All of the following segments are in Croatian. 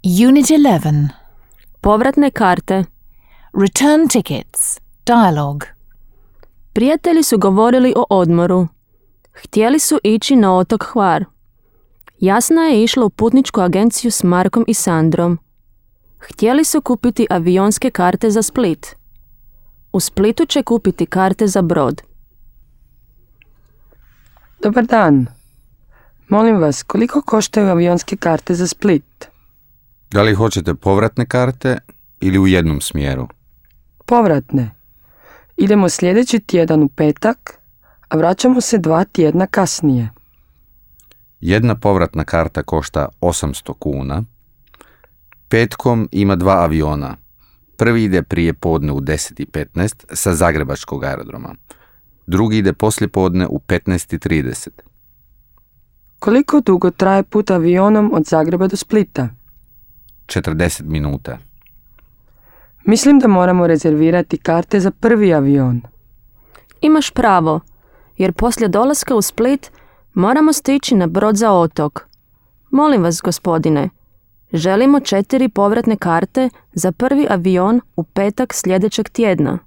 Unit 11. Povratne karte. Return tickets. Dialogue. Prijatelji su govorili o odmoru. Htjeli su ići na otok Hvar. Jasna je išla u putničku agenciju s Markom i Sandrom. Htjeli su kupiti avionske karte za Split. U Splitu će kupiti karte za brod. Dobar dan. Molim vas, koliko koštaju avionske karte za Split? Da li hoćete povratne karte ili u jednom smjeru? Povratne. Idemo sljedeći tjedan u petak, a vraćamo se 2 tjedna kasnije. Jedna povratna karta košta 800 kuna. Petkom ima 2 aviona. Prvi ide prije podne u 10:15 sa Zagrebačkog aerodroma. Drugi ide poslije podne u 15:30. Koliko dugo traje put avionom od Zagreba do Splita? 40 minuta. Mislim da moramo rezervirati karte za prvi avion. Imaš pravo, jer poslije dolaska u Split moramo stići na brod za otok. Molim vas, gospodine, želimo 4 povratne karte za prvi avion u petak sljedećeg tjedna.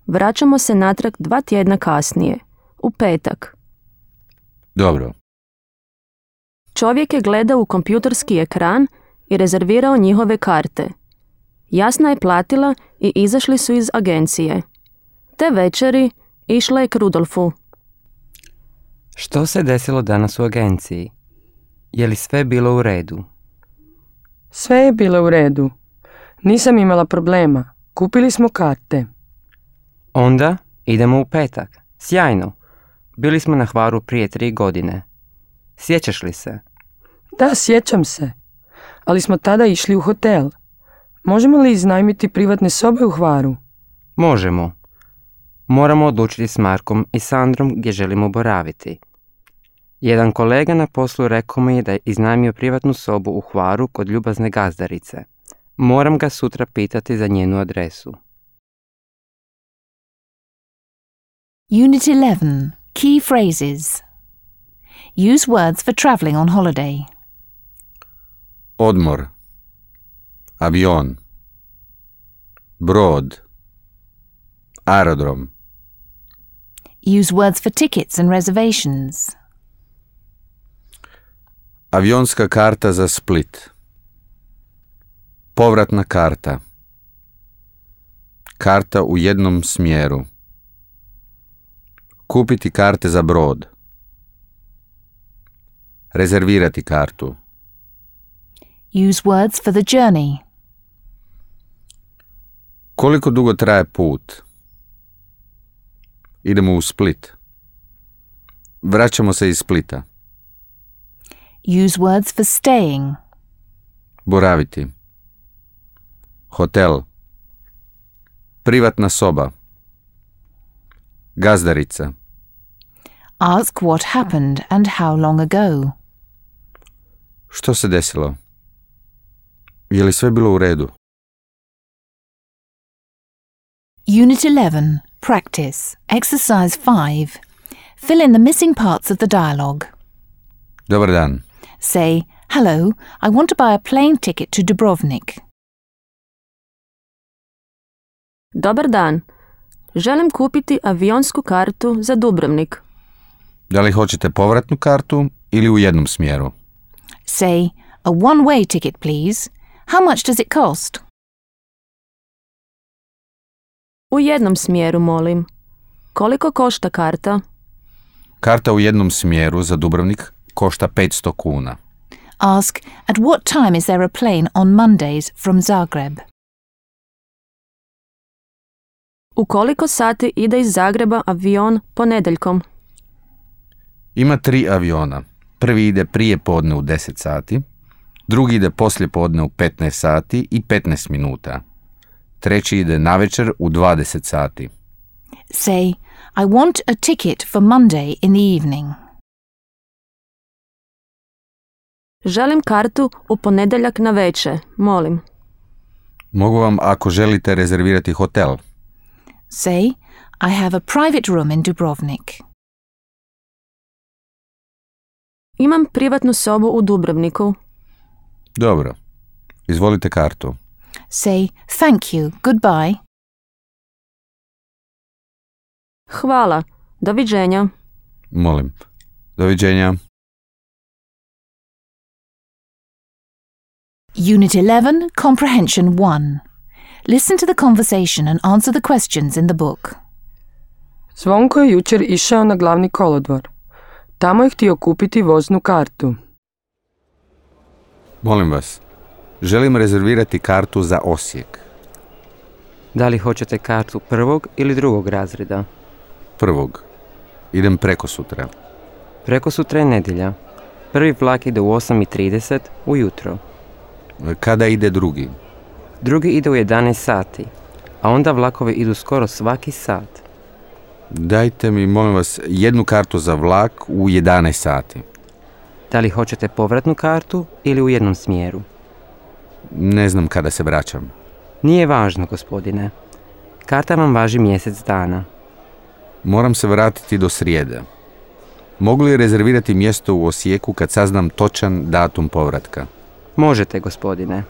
Vraćamo se natrag 2 tjedna kasnije, u petak. Dobro. Čovjek je gledao u kompjuterski ekran i rezervirao njihove karte. Jasna je platila i izašli su iz agencije. Te večeri išla je k Rudolfu. Što se desilo danas u agenciji? Je li sve bilo u redu? Sve je bilo u redu. Nisam imala problema. Kupili smo karte. Onda idemo u petak. Sjajno. Bili smo na Hvaru prije 3 godine. Sjećaš li se? Da, sjećam se. Ali smo tada išli u hotel. Možemo li iznajmiti privatne sobe u Hvaru? Možemo. Moramo odlučiti s Markom i Sandrom gdje želimo boraviti. Jedan kolega na poslu rekao mi je da je iznajmio privatnu sobu u Hvaru kod ljubazne gazdarice. Moram ga sutra pitati za njenu adresu. Unit 11. Key phrases. Use words for travelling on holiday. Odmor. Avion. Brod. Aerodrom. Use words for tickets and reservations. Avionska karta za Split. Povratna karta. Karta u jednom smjeru. Kupiti karte za brod. Rezervirati kartu. Use words for the journey. Koliko dugo traje put? Idemo u Split. Vraćamo se iz Splita. Use words for staying. Boraviti. Hotel. Privatna soba. Gazdarica. Ask what happened and how long ago. Što se desilo? Je li sve bilo u redu? Unit 11. Practice. Exercise 5. Fill in the missing parts of the dialogue. Dobar dan. Say, hello, I want to buy a plane ticket to Dubrovnik. Dobar dan. Želim kupiti avionsku kartu za Dubrovnik. Da li hoćete povratnu kartu ili u jednom smjeru? Say, a one-way ticket, please. How much does it cost? U jednom smjeru, molim. Koliko košta karta? Karta u jednom smjeru za Dubrovnik košta 500 kuna. Ask, at what time is there a plane on Mondays from Zagreb? U koliko sati ide iz Zagreba avion ponedjeljkom? Ima 3 aviona. Prvi ide prije podne u 10 sati, drugi ide poslije podne u 15 sati i 15 minuta. Treći ide navečer u 20 sati. Say, I want a ticket for Monday in the evening. Želim kartu u ponedjeljak na večer, molim. Mogu vam ako želite rezervirati hotel. Say, I have a private room in Dubrovnik. Imam privatnu sobu u Dubrovniku. Dobro. Izvolite kartu. Say thank you, goodbye. Hvala, doviđenja. Molim. Doviđenja. Unit 11, Comprehension 1. Listen to the conversation and answer the questions in the book. Zvonko je jučer išao na glavni kolodvor. Tamo je htio kupiti voznu kartu. Molim vas. Želim rezervirati kartu za Osijek. Da li hoćete kartu prvog ili drugog razreda? Prvog. Idem preko sutra. Preko sutra je nedjelja. Prvi vlak ide u 8:30 ujutro. Kada ide drugi? Drugi ide u 11 sati, a onda vlakovi idu skoro svaki sat. Dajte mi, molim vas, jednu kartu za vlak u 11 sati. Da li hoćete povratnu kartu ili u jednom smjeru? Ne znam kada se vraćam. Nije važno, gospodine. Karta vam važi mjesec dana. Moram se vratiti do srijede. Mogu li rezervirati mjesto u Osijeku kad saznam točan datum povratka? Možete, gospodine.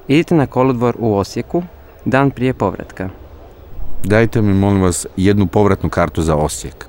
Idite na kolodvor u Osijeku dan prije povratka. Dajte mi, molim vas, jednu povratnu kartu za Osijek.